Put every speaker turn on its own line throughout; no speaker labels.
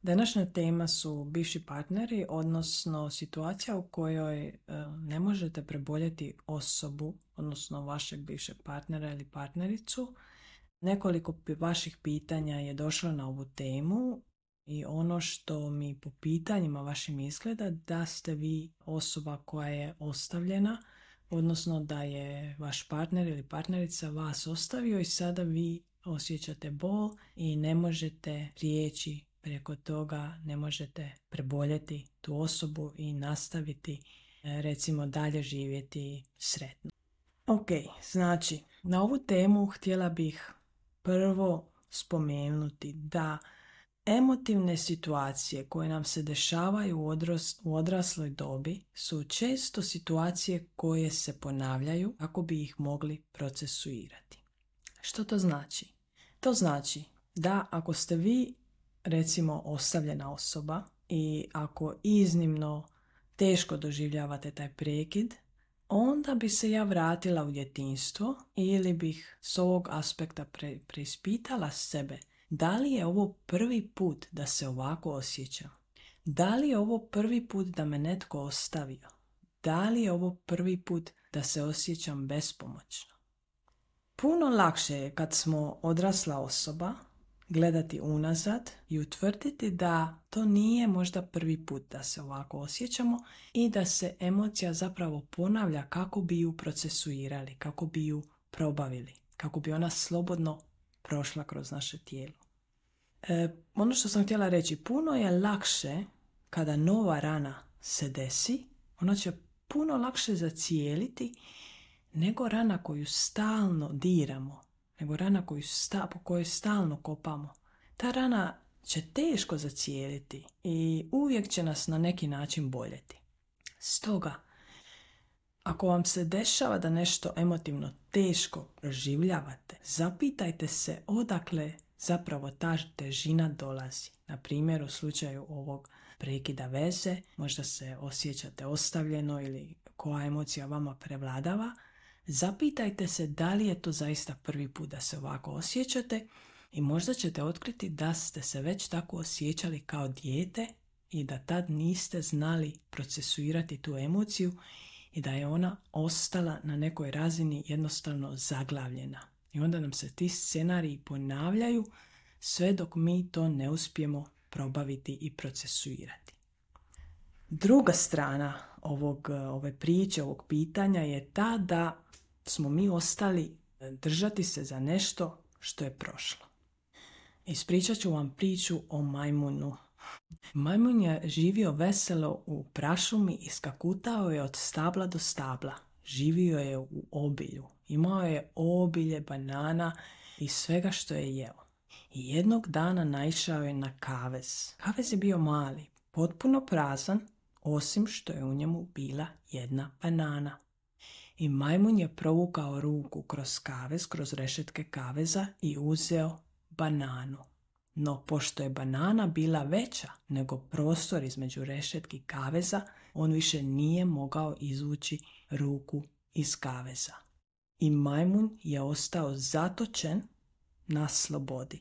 Današnja tema su bivši partneri, odnosno situacija u kojoj ne možete preboljeti osobu, odnosno vašeg bivšeg partnera ili partnericu. Nekoliko vaših pitanja je došlo na ovu temu i ono što mi po pitanjima vašim izgleda da ste vi osoba koja je ostavljena, odnosno da je vaš partner ili partnerica vas ostavio i sada vi osjećate bol i ne možete prijeći preko toga, ne možete preboljeti tu osobu i nastaviti recimo dalje živjeti sretno. Ok, znači na ovu temu htjela bih prvo spomenuti da emotivne situacije koje nam se dešavaju u odrasloj dobi su često situacije koje se ponavljaju kako bi ih mogli procesuirati. Što to znači? To znači da ako ste vi recimo ostavljena osoba i ako iznimno teško doživljavate taj prekid, onda bi se ja vratila u djetinjstvo ili bih s ovog aspekta preispitala sebe. Da li je ovo prvi put da se ovako osjećam? Da li je ovo prvi put da me netko ostavio? Da li je ovo prvi put da se osjećam bespomoćno? Puno lakše je kad smo odrasla osoba gledati unazad i utvrditi da to nije možda prvi put da se ovako osjećamo i da se emocija zapravo ponavlja kako bi ju procesuirali, kako bi ju probavili, kako bi ona slobodno prošla kroz naše tijelo. Ono što sam htjela reći, puno je lakše kada nova rana se desi, ona će puno lakše zacijeliti nego rana koju stalno diramo, nego rana po kojoj stalno kopamo. Ta rana će teško zacijeliti i uvijek će nas na neki način boljeti. Stoga, ako vam se dešava da nešto emotivno teško proživljavate, zapitajte se odakle zapravo ta težina dolazi. Na primjer, u slučaju ovog prekida veze, možda se osjećate ostavljeno ili koja emocija vama prevladava, zapitajte se da li je to zaista prvi put da se ovako osjećate i možda ćete otkriti da ste se već tako osjećali kao dijete i da tad niste znali procesuirati tu emociju i da je ona ostala na nekoj razini jednostavno zaglavljena. I onda nam se ti scenariji ponavljaju sve dok mi to ne uspijemo probaviti i procesuirati. Druga strana ove priče, ovog pitanja je ta da smo mi ostali držati se za nešto što je prošlo. Ispričat ću vam priču o majmunu. Majmun je živio veselo u prašumi i skakutao je od stabla do stabla. Živio je u obilju. Imao je obilje banana i svega što je jeo. I jednog dana naišao je na kavez. Kavez je bio mali, potpuno prazan, osim što je u njemu bila jedna banana. I majmun je provukao ruku kroz kavez, kroz rešetke kaveza i uzeo bananu. No, pošto je banana bila veća nego prostor između rešetki kaveza, on više nije mogao izvući ruku iz kaveza. I majmun je ostao zatočen na slobodi.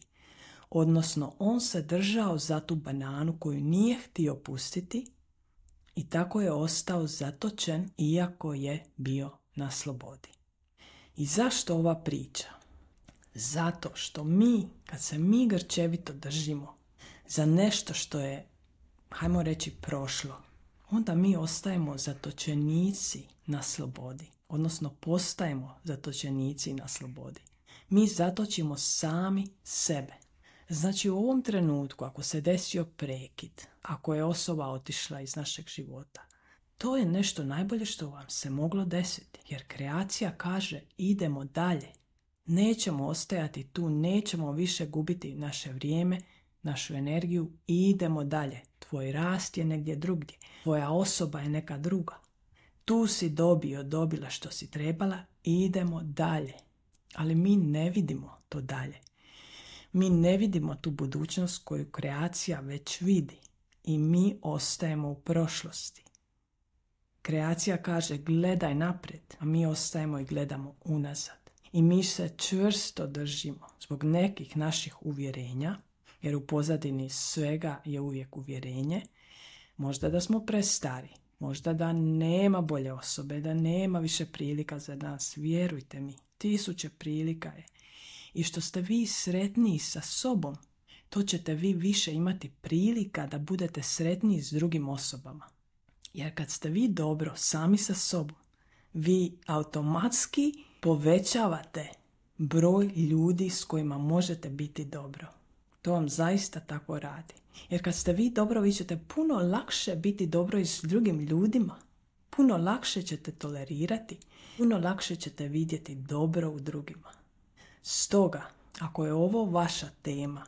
Odnosno, on se držao za tu bananu koju nije htio pustiti i tako je ostao zatočen iako je bio na slobodi. I zašto ova priča? Zato što kad se mi grčevito držimo za nešto što je, hajmo reći, prošlo, onda mi ostajemo zatočenici na slobodi. Odnosno, postajemo zatočenici na slobodi. Mi zatočimo sami sebe. Znači, u ovom trenutku, ako se desio prekid, ako je osoba otišla iz našeg života, to je nešto najbolje što vam se moglo desiti. Jer kreacija kaže idemo dalje. Nećemo ostajati tu, nećemo više gubiti naše vrijeme, našu energiju i idemo dalje. Tvoj rast je negdje drugdje. Tvoja osoba je neka druga. Tu si dobila što si trebala i idemo dalje. Ali mi ne vidimo to dalje. Mi ne vidimo tu budućnost koju kreacija već vidi i mi ostajemo u prošlosti. Kreacija kaže gledaj naprijed, a mi ostajemo i gledamo unazad. I mi se čvrsto držimo zbog nekih naših uvjerenja Jer u pozadini svega je uvijek uvjerenje. Možda da smo prestari, možda da nema bolje osobe, da nema više prilika za nas. Vjerujte mi, 1000 prilika je. I što ste vi sretniji sa sobom, to ćete vi više imati prilika da budete sretniji s drugim osobama. Jer kad ste vi dobro sami sa sobom, vi automatski povećavate broj ljudi s kojima možete biti dobro. To vam zaista tako radi. Jer kad ste vi dobro, vi ćete puno lakše biti dobro i s drugim ljudima. Puno lakše ćete tolerirati. Puno lakše ćete vidjeti dobro u drugima. Stoga, ako je ovo vaša tema,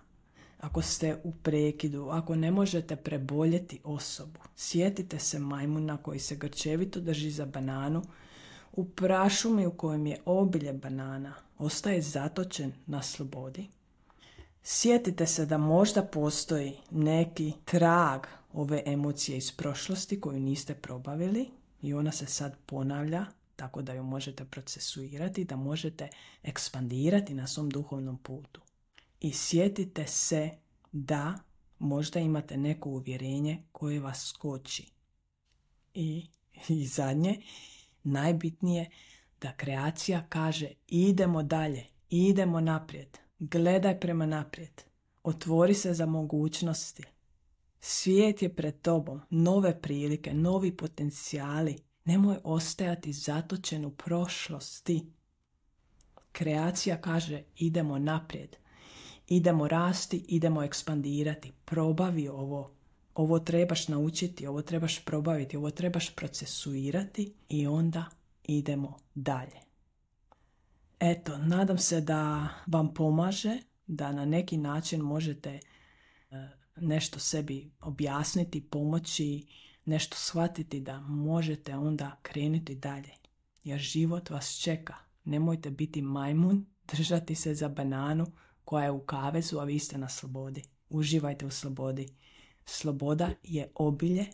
ako ste u prekidu, ako ne možete preboljeti osobu, sjetite se majmuna koji se grčevito drži za bananu u prašumi u kojem je obilje banana, ostaje zatočen na slobodi. Sjetite se da možda postoji neki trag ove emocije iz prošlosti koju niste probavili i ona se sad ponavlja, tako da ju možete procesuirati, da možete ekspandirati na svom duhovnom putu. I sjetite se da možda imate neko uvjerenje koje vas koči. I zadnje, najbitnije, da kreacija kaže idemo dalje, idemo naprijed, gledaj prema naprijed, otvori se za mogućnosti. Svijet je pred tobom, nove prilike, novi potencijali. Nemoj ostajati zatočen u prošlosti. Kreacija kaže idemo naprijed, idemo rasti, idemo ekspandirati. Probavi ovo. Ovo trebaš naučiti, ovo trebaš probaviti, ovo trebaš procesuirati i onda idemo dalje. Eto, nadam se da vam pomaže, da na neki način možete nešto sebi objasniti, pomoći, nešto shvatiti da možete onda krenuti dalje. Jer život vas čeka. Nemojte biti majmun, držati se za bananu koja je u kavezu, a vi ste na slobodi. Uživajte u slobodi. Sloboda je obilje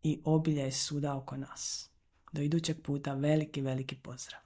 i obilje je svuda oko nas. Do idućeg puta veliki, veliki pozdrav.